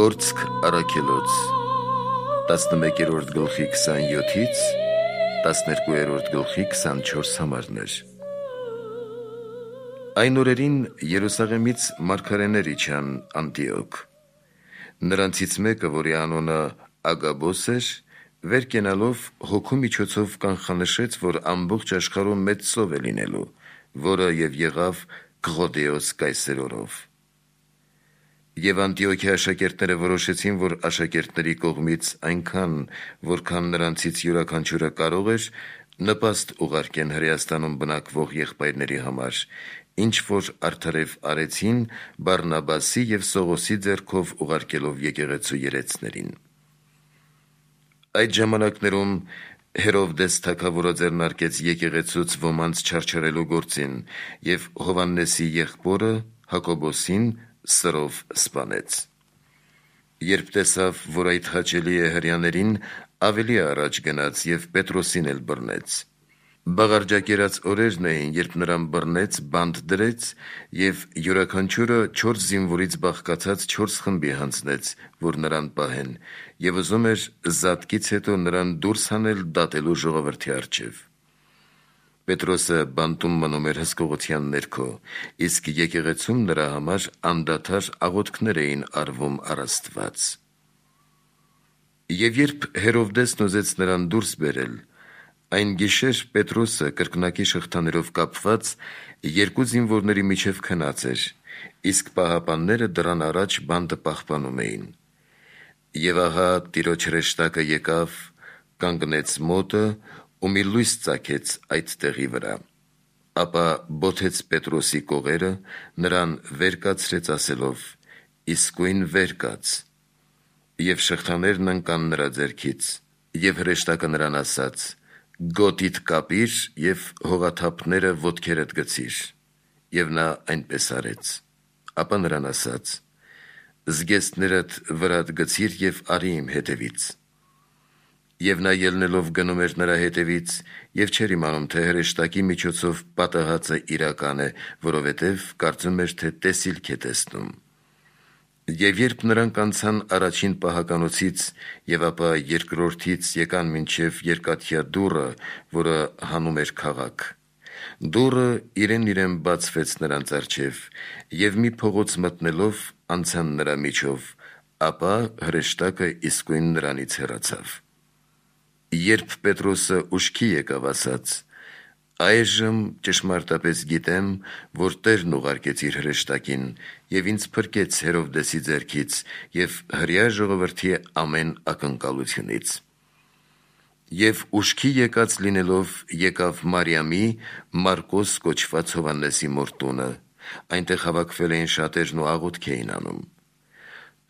Գործք առաքելոց 11-րդ գլխի 27-ից 12-րդ գլխի 24 համարներ։ Այն օրերին Երուսաղեմից մարգարեներ իջան Անտիոք։ Նրանցից մեկը, որի անունը Ագաբոս էր, վեր կենալով հոգու միջոցով կանխանշեց, որ ամբողջ աշխարհում մեծ սով է լինելու, որը եւ եղավ Կղոդեոս կայսերով։ Եվ Անտիոքի աշակերտները որոշեցին, որ աշակերտների կողմից այնքան, որքան նրանցից յուրաքանչյուրը կարող էր, նպաստ ուղարկեն Հրեաստանում բնակվող եղբայրների համար, ինչ որ արդարև արեցին Բարնաբասի եւ Սողոսի ձեռքով ուղարկելով եկեղեցու երեցներին։ Այդ ժամանակներում Հերովդես թագավորը ձեռնարկեց եկեղեցուց ոմանց չարչարելու գործին եւ Հովհաննեսի եղբորը Հակոբոսին սրով սպանեց։ Երբ տեսավ, որ այդ հաճելի է հրեաներին, ավելի առաջ գնաց եւ Պետրոսին էլ բռնեց։ Բաղարջակերած օրերն էին, երբ նրան բռնեց, բանտ դրեց եւ յուրաքանչյուրը 4 զինվորից բաղկացած 4 խմբի հանձնեց, որ նրան պահեն, եւ ուզում էր զատկից հետո նրան դուրս հանել դատելու ժողովրդի առջև։ Պետրոսը բանտում մնում էր հսկողության ներքո, իսկ եկեղեցում նրա համար անդադար աղոթքներ էին արվում առ Աստված։ Եվ երբ Հերովդեսն ուզեց նրան դուրս բերել, այն գիշեր Պետրոսը կրկնակի շղթաներով կապված 2 զինվորների միջև քնած էր, իսկ պահապանները դրան առաջ բանտը պահպանում էին։ Եվ ահա Տիրոջ հրեշտակը եկավ, կանգնեց մոտը ու մի լույս ծագեց այդ տեղի վրա, ապա բոթեց Պետրոսի կողերը, նրան վեր կացրեց ասելով. «Իսկույն վեր կաց», եւ շղթաներն ընկան նրա ձեռքից, եւ հրեշտակը նրան ասաց. «Գոտիդ կապիր եւ հողաթափները ոտքերդ գցիր», եւ նա այնպես արեց։ Ապա նրան ասաց. «Զգեստներդ վրադ գցիր եւ արի իմ հետևից»։ Եվ նա ելնելով գնում էր նրա հետևից եւ չէր իմանում, թե հրեշտակի միջոցով պատահածը իրական է, որովհետեւ կարծում էր, թե տեսիլք է տեսնում։ Եվ երբ նրանք անցան առաջին պահականոցից եւ ապա երկրորդից եկան մինչեւ երկաթյա դուռը, որը հանում էր քաղաք, դուռը իրեն բացվեց նրանց առջև, եւ մի փողոց մտնելով անցան նրա միջով, ապա հրեշտակը իսկույն նրանից հեռացավ։ Երբ Պետրոսը ուշքի եկավ, ասաց. «Այժմ ճշմարտապես գիտեմ, որ Տերն ուղարկեց իր հրեշտակին եւ ինձ փրկեց Հերովդեսի ձեռքից եւ հրեա ժողովրդի ամեն ակնկալությունից»։ Եվ ուշքի եկած լինելով եկավ Մարիամի, Մարկոս կոչված Հովհաննեսի մոր տունը, այնտեղ հավաքվել էին շատերն ու աղոթք էին անում։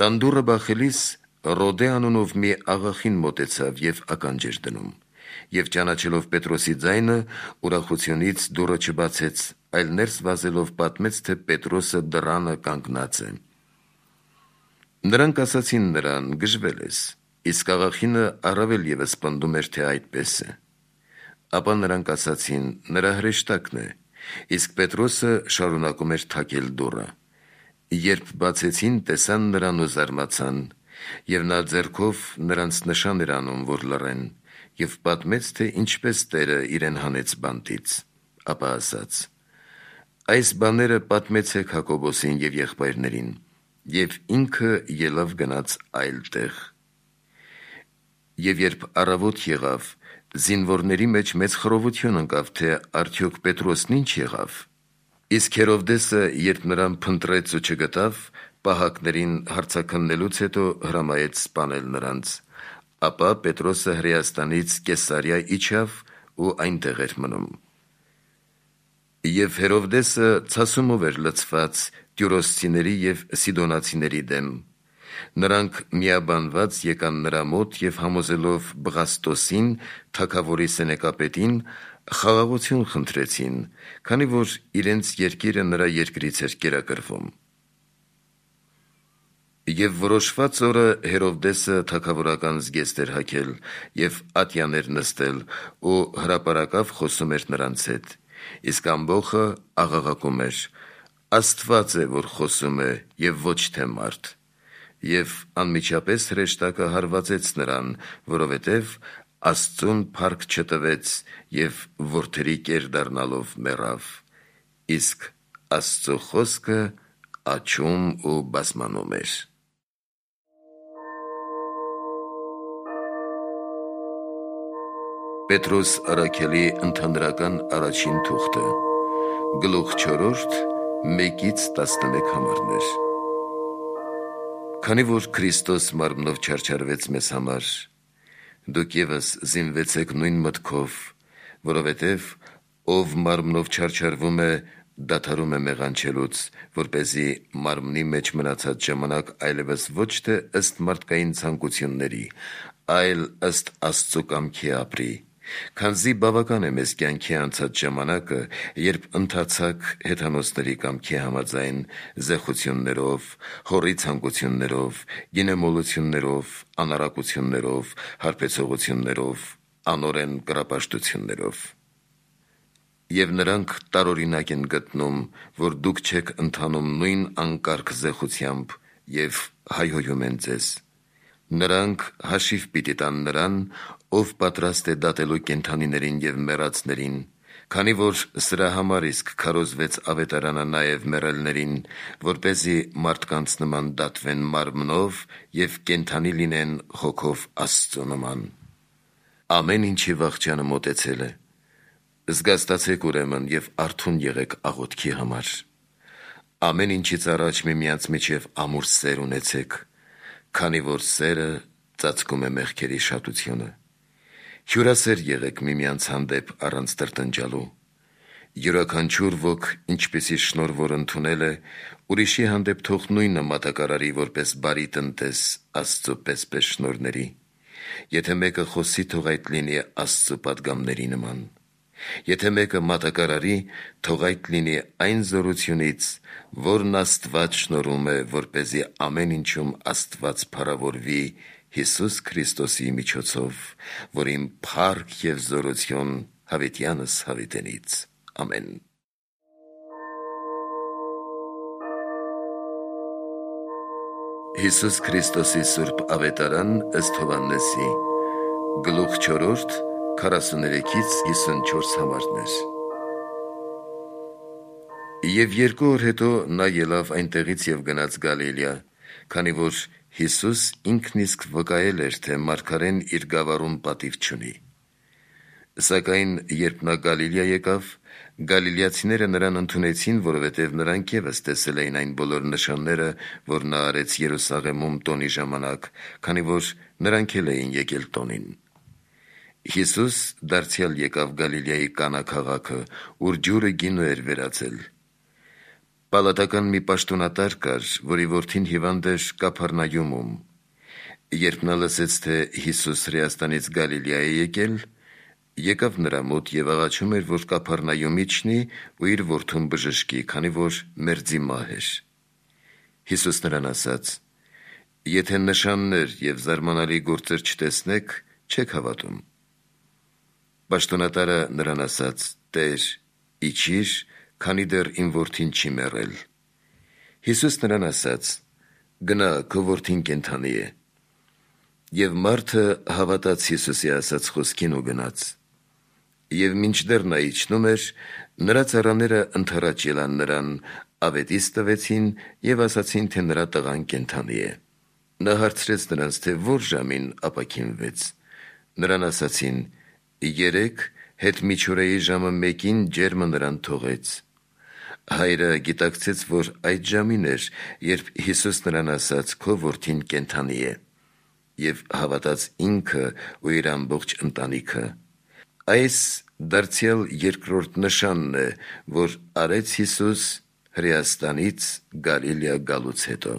Տան դուռը բախելիս Ռոդե անունով մի աղախին մոտեցավ եւ ականջ էր դնում, եւ ճանաչելով Պետրոսի ձայնը, ուրախությունից դուռը չբացեց, այլ ներս վազելով պատմեց, թե Պետրոսը դռանը կանգնած է։ Նրանք ասացին նրան. «Գժվել ես», իսկ աղախինը առավել եւս պնդում էր, թե այդպես է։ Ապա նրանք ասացին. «Նրա հրեշտակն է», իսկ Պետրոսը շարունակում էր թակել դուռը։ Երբ բացեցին, տեսան նրան ու զարմացան, եւ նա ձեռքով նրանց նշան էր անում, որ լռեն, եւ պատմեց, թե ինչպես Տերը իրեն հանեց բանտից։ Ապա ասաց. «Այս բաները պատմեցեք Հակոբոսին եւ եղբայրներին», եւ ինքը ելավ գնաց այլ տեղ։ Եվ երբ առավոտ եղավ, զինվորների մեջ մեծ խռովություն ընկավ, թե արդյոք Պետրոսն ինչ եղավ։ Իսկ Հերովդեսը, երբ նրան փնտրեց ու չգտավ, պահակներին հարցաքննելուց հետո հրամայեց սպանել նրանց։ Ապա Պետրոսը Հրեաստանից Կեսարիա իջավ ու այնտեղ էր մնում։ Եվ Հերովդեսը ցասումով էր լցված տյուրոսցիների եւ սիդոնացիների դեմ։ Նրանք միաբանված եկան նրա մոտ եւ համոզելով Բղաստոսին, թագավորի սենեկապետին, խաղաղություն խնդրեցին, քանի որ իրենց երկիրը նրա երկրից էր կերակրվում։ Եվ որոշված օրը Հերովդեսը թագավորական զգեստ էր հագել եւ ատյաներ նստել ու հրապարակավ խոսում էր նրանց հետ, իսկ ամբոխը աղաղակում էր. «Աստված է, որ խոսում է եւ ոչ թե մարդ»։ և անմիջապես հրեշտակը հարվածեց նրան, որովհետև Աստծուն փառք չտվեց և որդերի կեր դառնալով մեռավ, իսկ Աստծու խոսքը աչում ու բազմանում էր։ Պետրոս առաքյալի ընդհանրական առաջին թուղթը, գլուխ 4, 1-11 համարներ։ Քանի որ Քրիստոս մարմնով չարչարվեց մեզ համար, դուք ևս զինվեցեք նույն մտքով, որովհետև ով մարմնով չարչարվում է, դադարում է մեղանչելուց, որպեսզի մարմնի մեջ մնացած ժամանակ այլևս ոչ թե ըստ մարդկային ցանկությունների, այլ ըստ Աստծու կամքի ապրի, քանզի բավական է մեզ կյանքի անցած ժամանակը, երբ ընթացաք հեթանոսների կամքի համաձայն զեղություններով, հոռի ցանկություններով, գինեմոլություններով, անառակություններով, հարբեցողություններով, անօրեն կռապաշտություններով։ Եվ նրանք տարօրինակ են գտնում, որ դուք չեք ընթանում նույն անկարգ զեղությամբ և հայհոյում են ձեզ։ Նրանք հաշիվ պիտի տան նրան, ով պատրաստ է դատելու կենդանիներին և մեռածներին, քանի որ սրա համար իսկ քարոզվեց ավետարանը նաև մեռելներին, որպեսզի մարդկանց նման դատվեն մարմնով և կենդանի լինեն հոգով Աստծու նման։ Ամեն ինչի վախճանը մոտեցել է։ Զգաստացեք ուրեմն և արթուն եղեք աղոթքի համար։ Ամեն ինչից առաջ միմյանց միջև ամուր սեր ունեցեք, քանի որ սերը ծածկում է մեղքերի շատությունը։ Հյուրասեր եղեք միմյանց հանդեպ առանց տրտնջալու։ Յուրաքանչյուր ոք ինչպիսի շնորհ որ ընդունել է, ուրիշի հանդեպ թող նույնը մատակարարի, որպես բարի տնտես Աստծու պես շնորհների։ Եթե մեկը խոսի, թող այդ լինի Աստծու պատգամների նման։ Եթե մեկը մատակարարի, թող այդ լինի այն զորությունից, որն Աստված շնորհում է, որպեսզի ամեն ինչում Աստված փառավորվի Հիսուս Քրիստոսի միջոցով, որին փառք և զորություն հավիտյանս հավիտենից։ Ամեն։ Հիսուս Քրիստոսի սուրբ ավետարան ըստ Հովհաննեսի, գլուխ 4, 43-54 համարներ։ Եվ 2 օր հետո նա ելավ այնտեղից և գնաց Գալիլեա, քանի որ Հիսուս ինքն իսկ վկայել էր, թե մարգարեն իր գավառում պատիվ չունի։ Սակայն երբ նա Գալիլեա եկավ, գալիլեացիները նրան ընդունեցին, որովհետև նրանք ևս տեսել էին այն բոլոր նշանները, որ նա արեց Երուսաղեմում տոնի ժամանակ, քանի որ նրանք էլ էին եկել տոնին։ Հիսուս դարձյալ եկավ Գալիլեայի Կանա քաղաքը, ուր ջուրը գինու էր վերածել։ Պալատական մի պաշտոնատար կար, որի որդին հիվանդ էր Կափառնայումում։ Երբ նա լսեց, թե Հիսուս Հրեաստանից Գալիլեա է եկել, եկավ նրա մոտ և աղաչում էր, որ Կափառնայում իջնի ու իր որդուն բժշկի, քանի որ մերձի մահ էր։ Հիսուս նրան ասաց. «Եթե նշաններ և զարմանալի գործեր չտեսնեք, չեք հավատում»։ Պաշտոնատարը նրան ասաց. «Տեր, իջիր, քանի դեռ իմ որդին չի մեռել»։ Հիսուս նրան ասաց. «Գնա, քո որդին կենդանի է»։ Եվ մարդը հավատաց Հիսուսի ասած խոսքին ու գնաց։ Եվ մինչդեռ նա իջնում էր, նրա ծառաները ընդառաջ ելան նրան, ավետիս տվեցին և ասացին, թե նրա տղան կենդանի է։ Նա հարցրեց նրանց, թե որ ժամին ապաքինվեց։ Նրան ասացին. 3 հետմիջօրեի ժամը 1-ին ջերմը նրան թողեց։ Հայրը գիտակցեց, որ այդ ժամին էր, երբ Հիսուս նրան ասաց. «Քո որդին կենդանի է», և հավատաց ինքը ու իր ամբողջ ընտանիքը։ Այս դարձյալ երկրորդ նշանն է, որ արեց Հիսուս Հրեաստանից Գալիլեա գալուց հետո։